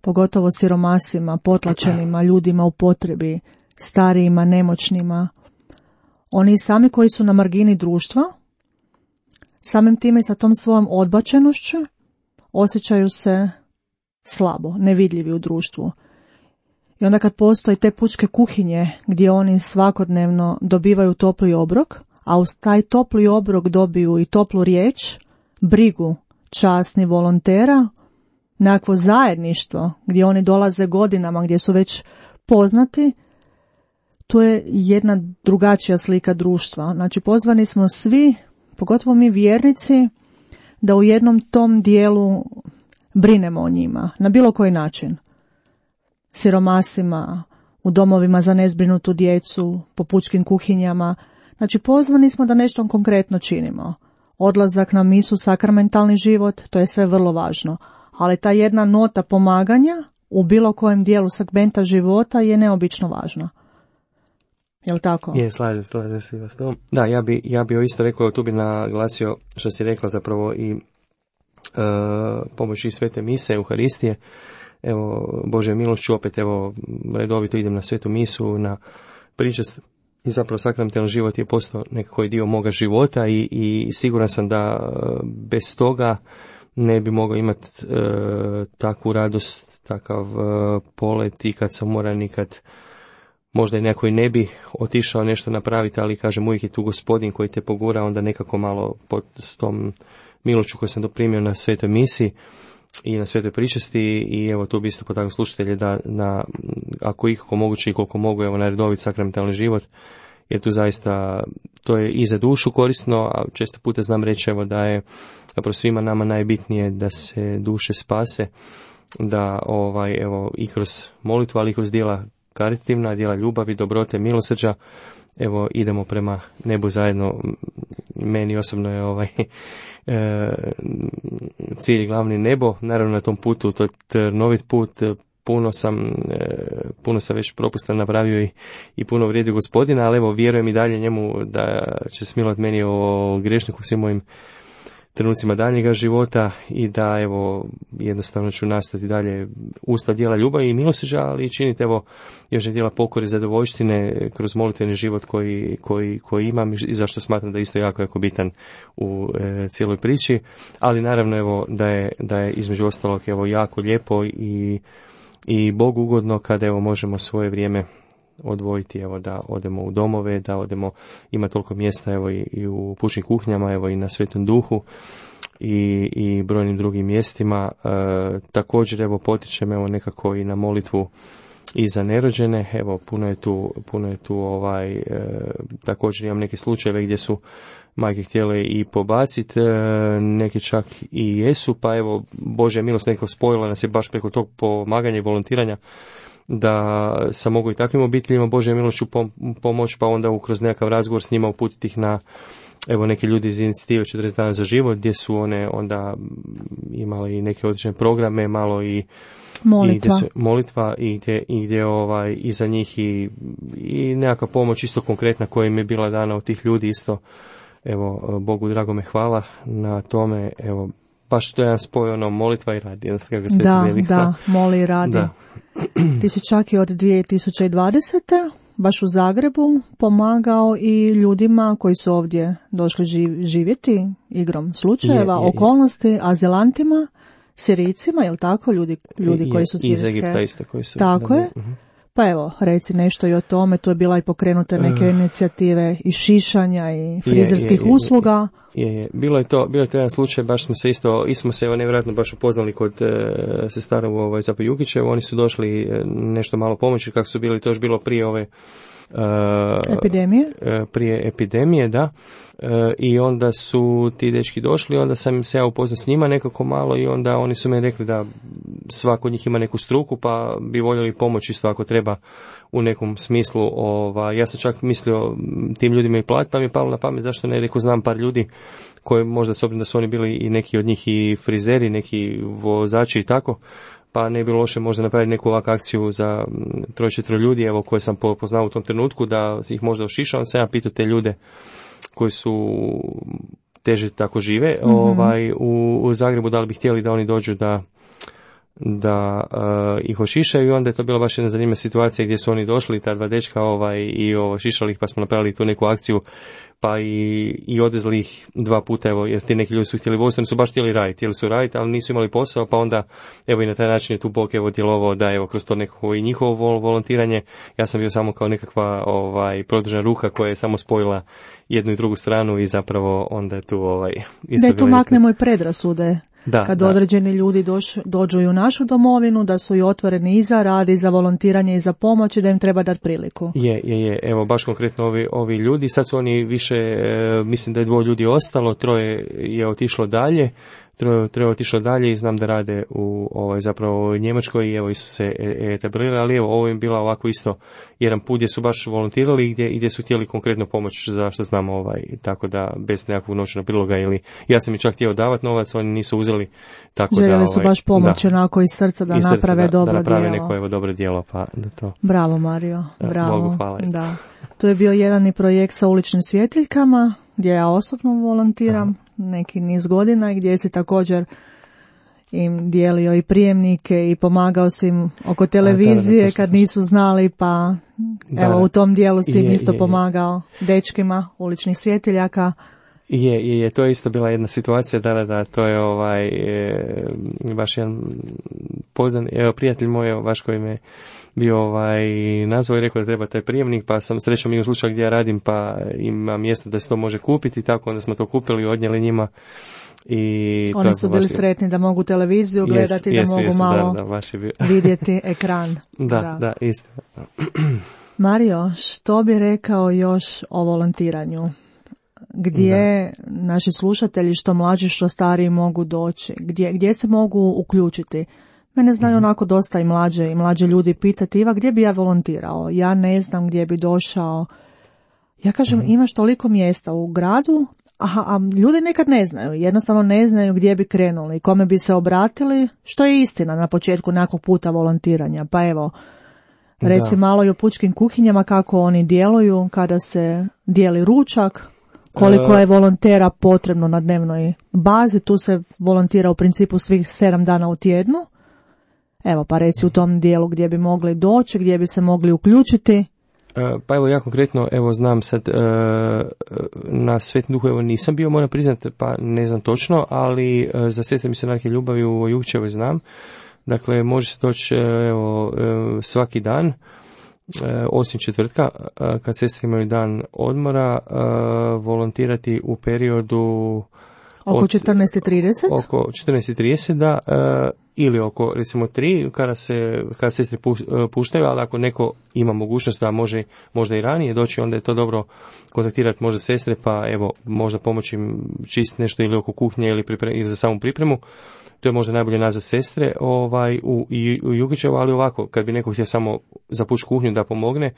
pogotovo siromasima, potlačenima, ljudima u potrebi, starijima, nemoćnima. Oni sami koji su na margini društva, samim time i sa tom svojom odbačenošću, osjećaju se slabo, nevidljivi u društvu. I onda kad postoje te pučke kuhinje gdje oni svakodnevno dobivaju topli obrok, a uz taj topli obrok dobiju i toplu riječ, brigu časnih volontera, nekakvo zajedništvo gdje oni dolaze godinama, gdje su već poznati, to je jedna drugačija slika društva. Znači, pozvani smo svi, pogotovo mi vjernici, da u jednom tom dijelu brinemo o njima, na bilo koji način. Siromasima, u domovima za nezbrinutu djecu, po pučkim kuhinjama. Znači, pozvani smo da nešto konkretno činimo. Odlazak na misu, sakramentalni život, to je sve vrlo važno. Ali ta jedna nota pomaganja u bilo kojem dijelu segmenta života je neobično važna. Jel' tako? Je, slažem se vas to. Da, ja bi isto rekao, tu bi naglasio što si rekla zapravo i pomoći svete mise, Euharistije. Evo, Bože milošću, opet evo, redovito idem na svetu misu, na pričast, i zapravo sakramentalni život je postao nekako dio moga života, i siguran sam da bez toga ne bi mogao imati takvu radost, takav polet, i kad sam umoran, i kad možda i neko i ne bi otišao nešto napraviti, ali kažem, uvijek je tu Gospodin koji te pogura, onda nekako malo s tom milošću koju sam doprimio na svetoj misi i na svetoj pričasti. I evo, tu bi isto potaknuo slušatelje da ako ikako moguće i koliko mogu, evo, na redovit sakramentalni život, jer tu zaista to je i za dušu korisno, a često puta znam reći, evo, da je zapravo svima nama najbitnije da se duše spase, da evo, i kroz molitvu, ali i kroz djela karitativna, djela ljubavi, dobrote, milosrđa, evo, idemo prema nebu zajedno. Meni osobno je cilj glavni nebo. Naravno, na tom putu, to je trnovit put, puno sam već propusta napravio i puno vrijedio Gospodina, ali evo, vjerujem i dalje njemu da će smilovat meni o grešniku svim mojim trenucima daljnjega života, i da evo, jednostavno ću nastaviti dalje usta djela ljubavi i milosrđa, ali činiti evo još djela pokore i zadovoljštine kroz molitveni život koji imam, i zašto smatram da je isto jako bitan u cijeloj priči. Ali naravno, evo, da je između ostalog evo jako lijepo i Bogu ugodno kada evo možemo svoje vrijeme odvojiti, evo da odemo u domove, da odemo, ima toliko mjesta evo i u pučkim kuhinjama, evo i na Svetom Duhu i brojnim drugim mjestima. Također evo potičem evo nekako i na molitvu i za nerođene, evo puno je tu također imam neke slučajeve gdje su majke htjele i pobaciti, neke čak i jesu, pa evo Božja milost nekako spojila nas je baš preko tog pomaganja i volontiranja da sam mogu i takvim obiteljima Božja milošću pomoć, pa onda kroz nekakav razgovor s njima uputiti ih na evo neki ljudi iz inicijative 40 dana za život, gdje su one onda imale i neke određene programe, malo i molitva i gdje i za njih i nekakva pomoć isto konkretna koja im je bila dana od tih ljudi isto. Evo, Bogu dragome hvala na tome, evo, baš to je jedan spoj, molitva i radi. Da, moli i radi. Da. Ti si čak i od 2020. baš u Zagrebu pomagao i ljudima koji su ovdje došli živjeti igrom slučajeva, okolnosti, azilantima, Sirijcima, jel tako? Ljudi koji su sirijske. Iz Egipta isto koji su. Tako je. Pa evo, reci nešto i o tome, to je bila i pokrenuta neke inicijative i šišanja i frizerskih usluga. Bilo je to jedan slučaj, baš smo se evo nevjerojatno baš upoznali kod sestara u Zapo Jukićevu, oni su došli nešto malo pomoći, kako su bili, to još bilo prije ove prije epidemije, da. I onda su ti dečki došli, onda sam se ja upoznao s njima nekako malo i onda oni su mi rekli da svako od njih ima neku struku, pa bi voljeli pomoć isto ako treba u nekom smislu. Ja sam čak mislio tim ljudima i platiti, pa mi je palo na pamet zašto ne, rekao znam par ljudi koji možda s obzirom da su oni bili i neki od njih i frizeri, neki vozači i tako, pa ne bi bilo loše možda napraviti neku ovakvu akciju za 3-4 ljudi, evo koje sam poznao u tom trenutku, da ih možda ošišao. On sam ja pitao te ljude koji su teže tako žive u Zagrebu, da li bi htjeli da oni dođu da ih ošišaju, i onda je to bila baš jedna zanimljiva situacija gdje su oni došli, ta dva dečka i ošišali ih, pa smo napravili tu neku akciju, pa i odvezli ih 2 puta, evo, jer ti neki ljudi su htjeli voziti, oni su baš htjeli raditi, ali nisu imali posao, pa onda evo i na taj način je tu Bog evo djelovao da evo kroz to nekako i njihovo volontiranje, ja sam bio samo kao nekakva produžena ruka koja je samo spojila jednu i drugu stranu i zapravo onda je tu isto da tu maknemo i predrasude. Kad određeni ljudi dođu i u našu domovinu, da su i otvoreni i za rad, i za volontiranje, i za pomoć, i da im treba dati priliku. Je. Evo, baš konkretno ovi ljudi, sad su oni više, mislim da je 2 ljudi ostalo, 3 je otišlo dalje, 3 otišlo dalje i znam da rade zapravo u Njemačkoj i evo su se etablirali, ali evo ovo je bila ovako isto jedan put gdje su baš volontirali i gdje su htjeli konkretno pomoć za što znamo, tako da bez nekakvog novčanog priloga ili ja sam i čak htio davati novac, oni nisu uzeli, tako željeli su baš pomoć onako iz srca da naprave dobro djelo. Da naprave neko dobro djelo, pa da to. Bravo Mario, bravo. Bogu hvala. Da. To je bio jedan i projekt sa uličnim svjetiljkama gdje ja osobno volontiram neki niz godina, gdje si također im dijelio i prijemnike i pomagao si im oko televizije kad nisu znali, pa evo u tom dijelu si im isto pomagao dečkima uličnih svjetiljaka. To je isto bila jedna situacija, da, to je baš jedan poznan, prijatelj moj, baš koji me bio nazvao i rekao da treba taj prijemnik, pa sam srećom i u slučaju gdje ja radim, pa ima mjesto da se to može kupiti, tako onda smo to kupili i odnijeli njima. I oni su bili sretni da mogu televiziju gledati, da mogu malo vidjeti ekran. Da, isto. Mario, što bi rekao još o volontiranju? Gdje naši slušatelji, što mlađi, što stariji, mogu doći? Gdje se mogu uključiti? Mene znaju onako dosta i mlađe ljudi pitati, Iva, gdje bi ja volontirao? Ja ne znam gdje bi došao. Ja kažem, imaš toliko mjesta u gradu, a ljudi nekad ne znaju, jednostavno ne znaju gdje bi krenuli, kome bi se obratili, što je istina na početku nekog puta volontiranja. Pa evo, reci malo i o pučkim kuhinjama, kako oni djeluju kada se dijeli ručak, koliko je volontera potrebno na dnevnoj bazi, tu se volontira u principu svih 7 dana u tjednu. Evo, pa reci u tom dijelu gdje bi mogli doći, gdje bi se mogli uključiti. Pa evo, ja konkretno, znam sad, na Svetom Duhu, nisam bio, moram priznati, pa ne znam točno, ali za sestre misionarke ljubavi u Jukćevoj znam. Dakle, može se doći svaki dan. osim četvrtka, kad sestre imaju dan odmora, volontirati u periodu oko 14:30? Oko 14:30, da, ili oko recimo 3 kada sestre puštaju, ali ako neko ima mogućnost da može možda i ranije doći, onda je to dobro kontaktirati možda sestre, pa evo možda pomoći im čistiti nešto ili oko kuhnje ili za samu pripremu. To je možda najbolje nazvat sestre u Jukićevu, ali ovako, kad bi neko htio samo zapući kuhnju da pomogne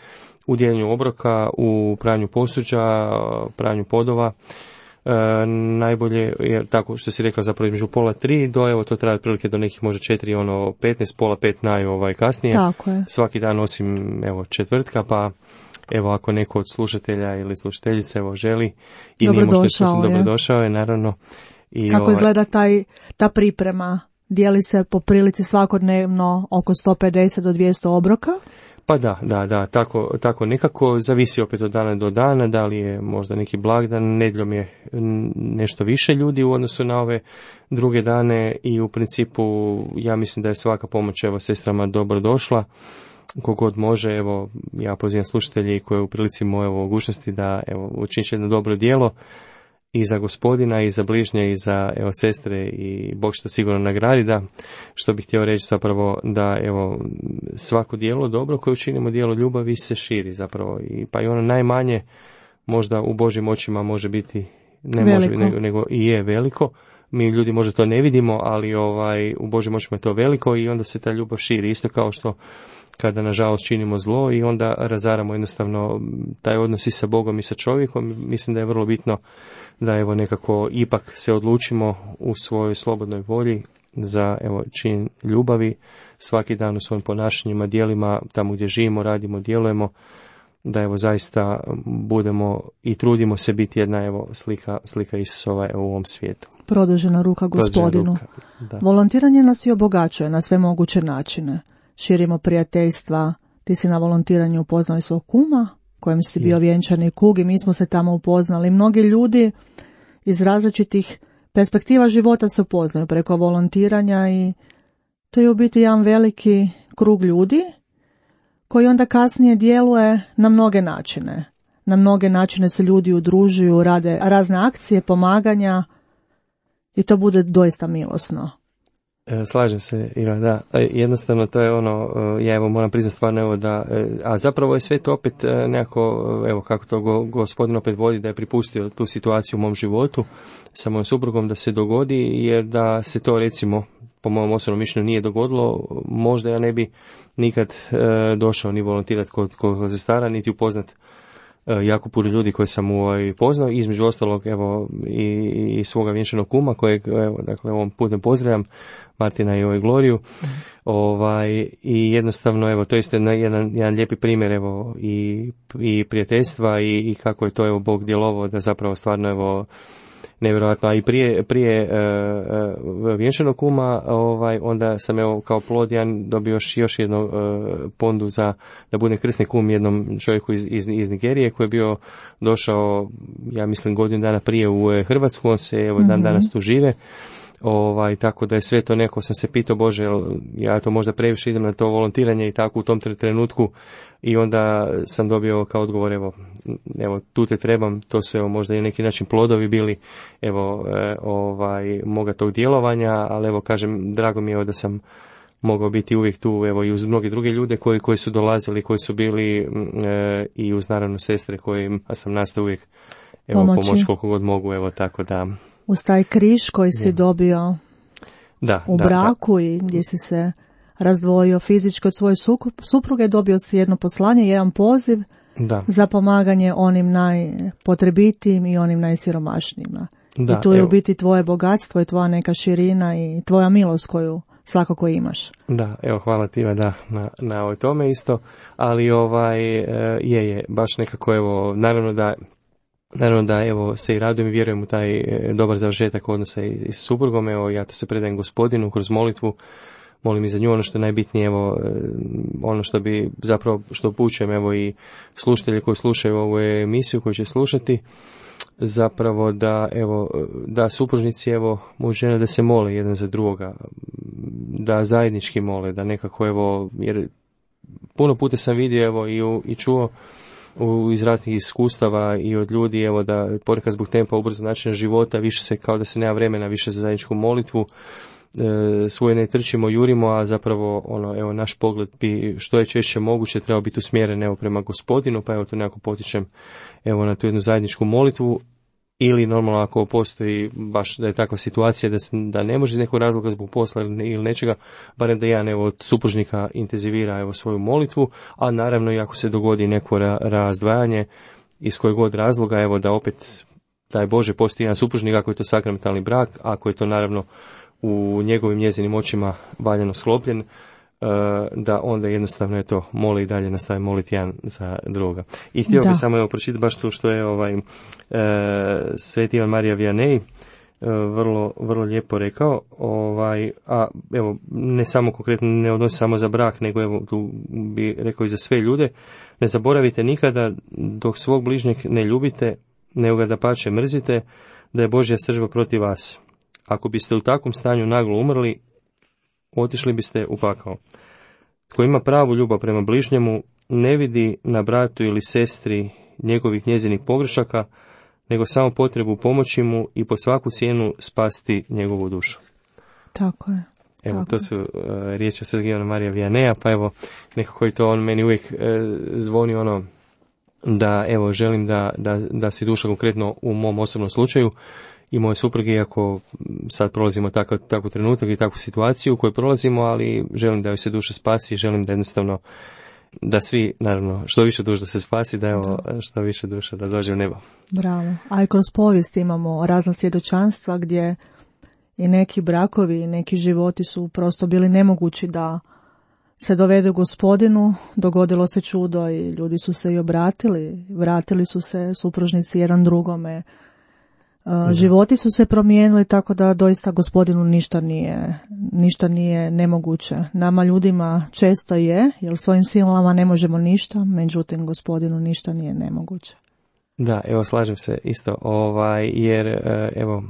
u dijeljenju obroka, u pranju posuđa, pranju podova, najbolje je tako što si rekla zapravo između 2:30 do, evo to traje otprilike do nekih možda 4:15, 4:30 kasnije. Tako je. Svaki dan osim evo četvrtka, pa evo ako neko od slušatelja ili slušateljice evo želi i nije možda dobrodošao je naravno. I kako izgleda ta priprema? Dijeli se po prilici svakodnevno oko 150 do 200 obroka? Pa da, tako nekako zavisi opet od dana do dana, da li je možda neki blagdan, nedjeljom je nešto više ljudi u odnosu na ove druge dane i u principu ja mislim da je svaka pomoć evo sestrama dobro došla. Kogod može, evo ja pozivam slušatelji koji u prilici moje mogućnosti da evo učiniti jedno dobro djelo i za Gospodina i za bližnje i za evo sestre i Bog što sigurno nagradi, da što bih htio reći zapravo da evo svako djelo dobro koje učinimo, djelo ljubavi se širi zapravo i pa i ono najmanje možda u Božjim očima može biti ne veliko. Može nego i je veliko. Mi ljudi možda to ne vidimo, ali u Božjim očima je to veliko i onda se ta ljubav širi isto kao što kada nažalost činimo zlo i onda razaramo jednostavno taj odnos i sa Bogom i sa čovjekom. Mislim da je vrlo bitno da evo nekako ipak se odlučimo u svojoj slobodnoj volji za evo čin ljubavi svaki dan u svojim ponašanjima, djelima, tamo gdje živimo, radimo, djelujemo, da evo zaista budemo i trudimo se biti jedna evo slika Isusova u ovom svijetu. Produžena ruka Gospodinu. Volontiranje nas i obogaćuje na sve moguće načine. Širimo prijateljstva. Ti si na volontiranju upoznao i svog kuma, kojem si bio vjenčani kug i mi smo se tamo upoznali. Mnogi ljudi iz različitih perspektiva života se upoznaju preko volontiranja i to je u biti jedan veliki krug ljudi koji onda kasnije djeluje na mnoge načine. Na mnoge načine se ljudi udružuju, rade razne akcije, pomaganja i to bude doista milosno. Slažem se, Ira, da. Jednostavno to je ono, ja evo moram priznati stvarno evo da, a zapravo je sve to opet nekako, evo kako to Gospodin opet vodi, da je pripustio tu situaciju u mom životu sa mojom suprugom da se dogodi, jer da se to recimo po mojom osobnom mišljenju nije dogodilo, možda ja ne bi nikad došao ni volontirati kod sestara, niti upoznat jako puno ljudi koje sam poznao, između ostalog evo i svoga vjenčanog kuma kojeg evo dakle ovom putem pozdravljam, Martina i Gloriju. I jednostavno evo to je isto jedan lijepi primjer evo i prijateljstva i kako je to evo Bog djelovao da zapravo stvarno evo nevjerojatno, a i prije vjenčanog kuma, onda sam evo kao plod jedan dobio još jednu pondu za da budem krsni kum jednom čovjeku iz Nigerije koji je bio došao, ja mislim godinu dana prije u Hrvatsku, on se evo dan danas tu žive. Tako da je sve to neko sam se pitao, Bože, ja to možda previše idem na to volontiranje i tako u tom trenutku i onda sam dobio kao odgovor, evo tu te trebam, to su evo možda i neki način plodovi bili moga tog djelovanja, ali evo kažem, drago mi je da sam mogao biti uvijek tu, evo i uz mnoge druge ljude koji su dolazili, koji su bili i uz naravno sestre kojima sam nastao uvijek pomoć koliko god mogu, evo tako da. Uz taj križ koji si dobio u braku i gdje si se razdvojio fizički od svoje supruge, dobio si jedno poslanje, jedan poziv za pomaganje onim najpotrebitijim i onim najsiromašnijima. I tu je u biti tvoje bogatstvo i tvoja neka širina i tvoja milost koju svakako imaš. Da, evo hvala ti na tome isto, ali je baš nekako evo, naravno da evo se i radujem i vjerujem u taj dobar završetak odnosa i s suprugom, evo ja to se predajem Gospodinu kroz molitvu, molim i za nju, ono što je najbitnije, evo ono što bi zapravo, što upućujem evo i slušatelji koji slušaju ovu emisiju, koji će slušati, zapravo da supružnici evo muž i žena da se mole jedan za drugoga, da zajednički mole, da nekako evo, jer puno puta sam vidio evo i čuo iz raznih iskustava i od ljudi, evo da ponekad zbog tempa ubrzo načina života više se kao da se nema vremena više za zajedničku molitvu, svoje ne trčimo, jurimo, a zapravo evo naš pogled bi što je češće moguće trebao biti usmjeren evo prema Gospodinu, pa evo to nekako potičem evo na tu jednu zajedničku molitvu. Ili normalno ako postoji baš da je takva situacija da ne može iz nekog razloga zbog posla ili nečega, barem da jedan evo od supružnika intenzivira evo svoju molitvu, a naravno i ako se dogodi neko razdvajanje iz kojeg god razloga, evo da opet daj Bože postoji jedan supružnik ako je to sakramentalni brak, ako je to naravno u njegovim njezinim očima valjano sklopljen, da onda jednostavno je to moli i dalje nastavi moliti jedan za druga. I htio bih samo pročitati baš to što je Sveti Ivan Marija Vianney vrlo lijepo rekao, a evo ne samo konkretno ne odnosi samo za brak, nego evo tu bi rekao i za sve ljude, ne zaboravite nikada dok svog bližnjeg ne ljubite, nego ga dapače mrzite, da je Božja sržba protiv vas. Ako biste u takvom stanju naglo umrli, otišli biste u pakao. Tko ima pravu ljubav prema bližnjemu, ne vidi na bratu ili sestri njezinih pogrešaka, nego samo potrebu pomoći mu i po svaku cijenu spasti njegovu dušu. Tako je. Evo, tako. To su riječi Svetog Ivana Marija Vianneja, pa evo, nekako i to on meni uvijek zvoni da evo želim da si duša konkretno u mom osobnom slučaju i moje supruge, iako sad prolazimo takav trenutak i takvu situaciju koju prolazimo, ali želim da joj se duša spasi, želim da jednostavno da svi, naravno, što više duša da se spasi, da evo što više duša da dođe u nebo. Bravo. A i kroz povijest imamo razna svjedočanstva gdje i neki brakovi i neki životi su prosto bili nemogući da se dovedu Gospodinu, dogodilo se čudo i ljudi su se i obratili, vratili su se supružnici jedan drugome. Životi su se promijenili, tako da doista Gospodinu ništa nije nemoguće. Nama ljudima često je, jer svojim silama ne možemo ništa, međutim Gospodinu ništa nije nemoguće. Da, evo slažem se isto, jer evo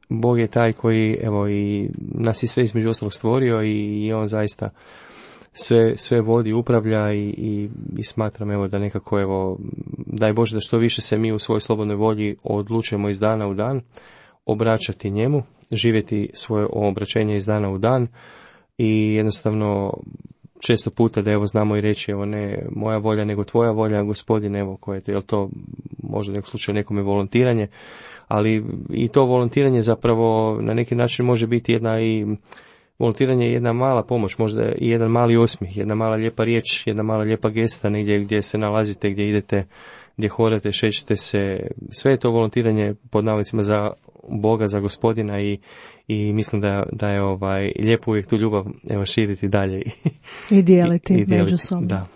Bog je taj koji evo i nas je sve između ostalog stvorio i on zaista sve vodi, upravlja i smatram evo da nekako evo daj Bože da što više se mi u svojoj slobodnoj volji odlučujemo iz dana u dan obraćati njemu, živjeti svoje obraćenje iz dana u dan i jednostavno često puta da evo znamo i reći evo ne moja volja nego tvoja volja, Gospodine, evo koje je to možda u nekom slučaju nekome volontiranje, ali i to volontiranje zapravo na neki način može biti volontiranje je jedna mala pomoć, možda i jedan mali osmijeh, jedna mala lijepa riječ, jedna mala lijepa gesta negdje gdje se nalazite, gdje idete, gdje hodate, šećete se. Sve je to volontiranje pod navodnicima za Boga, za Gospodina i mislim da je lijepo uvijek tu ljubav evo širiti dalje. I dijeliti međusobno. Da.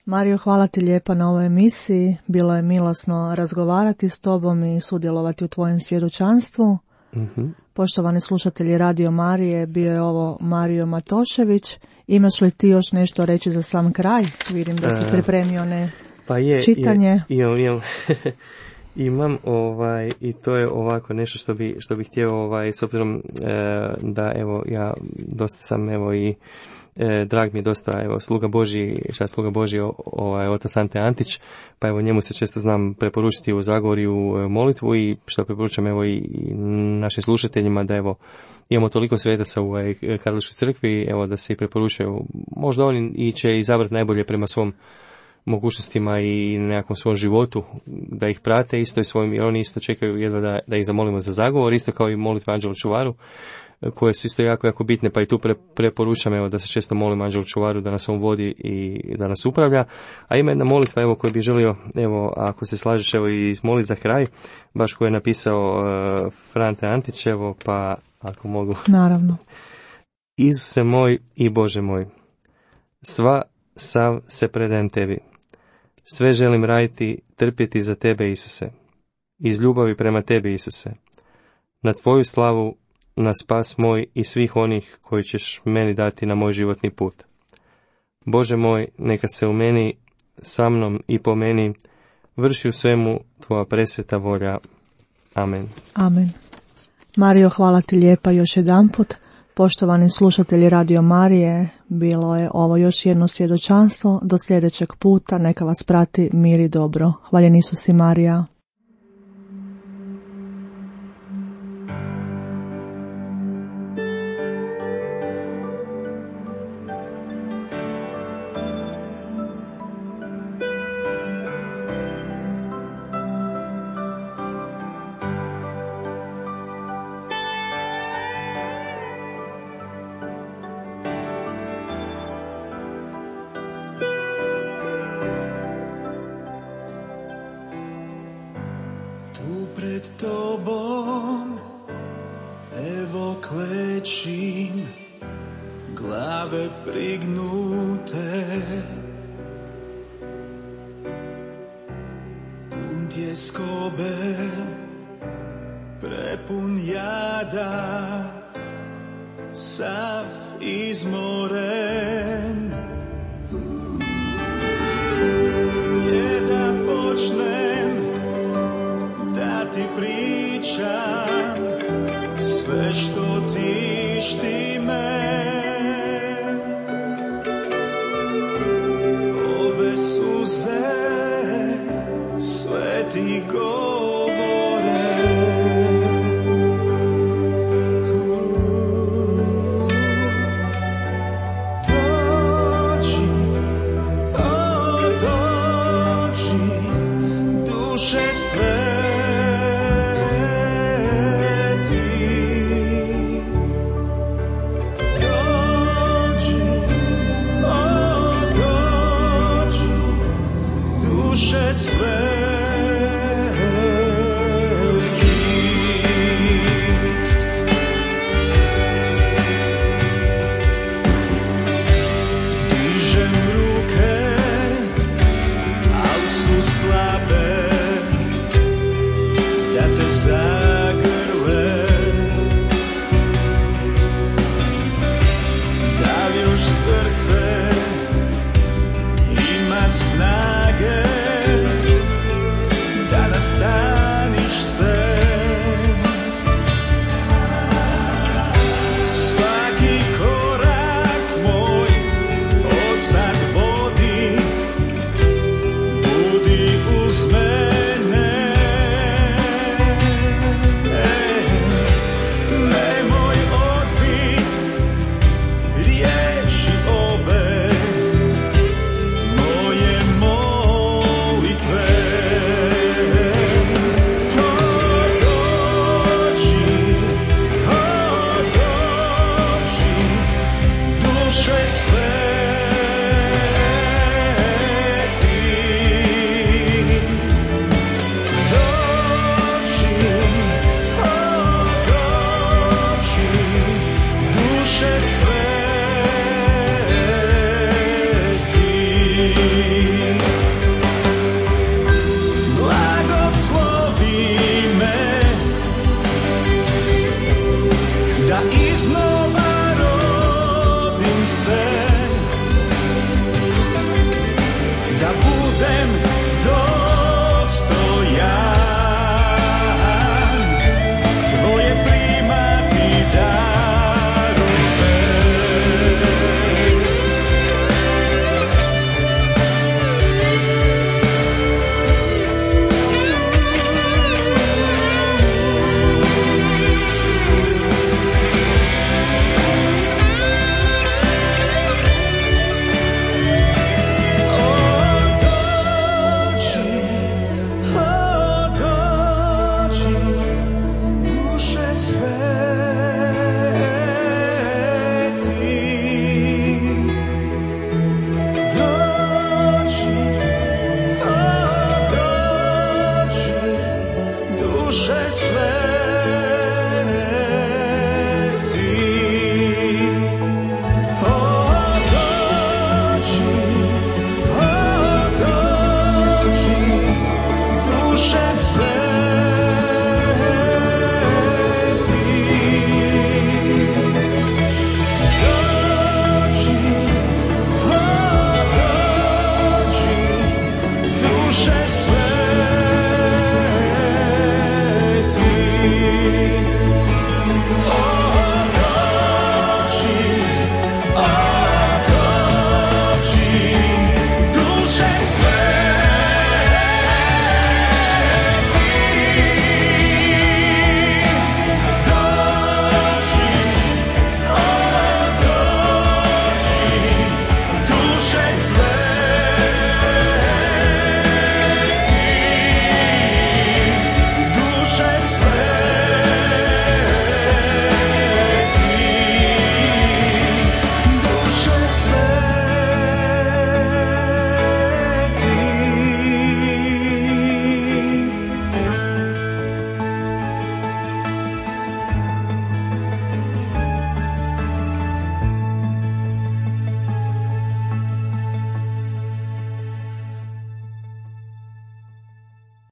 Mario, hvala ti lijepa na ovoj emisiji. Bilo je milosno razgovarati s tobom i sudjelovati u tvojem svjedočanstvu. Mm-hmm. Poštovani slušatelji Radio Marije, bio je ovo Mario Matošević. Imaš li ti još nešto reći za sam kraj? Vidim da si pripremio čitanje. Imam i to je ovako nešto što bi htio s obzirom da evo ja dosta sam evo i drag mi je dosta evo sluga Božji otac Ante Antić, pa evo njemu se često znam preporučiti u Zagorju molitvu i što preporučam evo i našim slušateljima da evo imamo toliko svetaca u Katoličkoj crkvi, evo da se i preporučuju, možda oni i će izabrati najbolje prema svom mogućnostima i nekakvom svom životu da ih prate isto i svojim, jer oni isto čekaju jedva da ih zamolimo za zagovor, isto kao i molitva Anđelu Čuvaru, koje su isto jako, jako bitne, pa i tu preporučam evo da se često molim Anđelu Čuvaru da nas on vodi i da nas upravlja. A ima jedna molitva evo koju bih želio, evo ako se slažeš evo i izmoliti za kraj, baš koju je napisao Frante Antić, evo pa ako mogu. Naravno. Isuse moj i Bože moj, sav se predajem tebi. Sve želim raditi, trpjeti za tebe, Isuse. Iz ljubavi prema tebi, Isuse. Na tvoju slavu, na spas moj i svih onih koji ćeš meni dati na moj životni put. Bože moj, neka se u meni, sa mnom i po meni vrši u svemu tvoja presveta volja. Amen. Amen. Mario, hvala ti lijepa još jedanput. Poštovani slušatelji Radio Marije, bilo je ovo još jedno svjedočanstvo. Do sljedećeg puta neka vas prati mir i dobro. Hvaljen Isus i Marija. Pred tobom, evo klečim, glave prignute, pun tjeskobe, prepun jada, sav izmoren.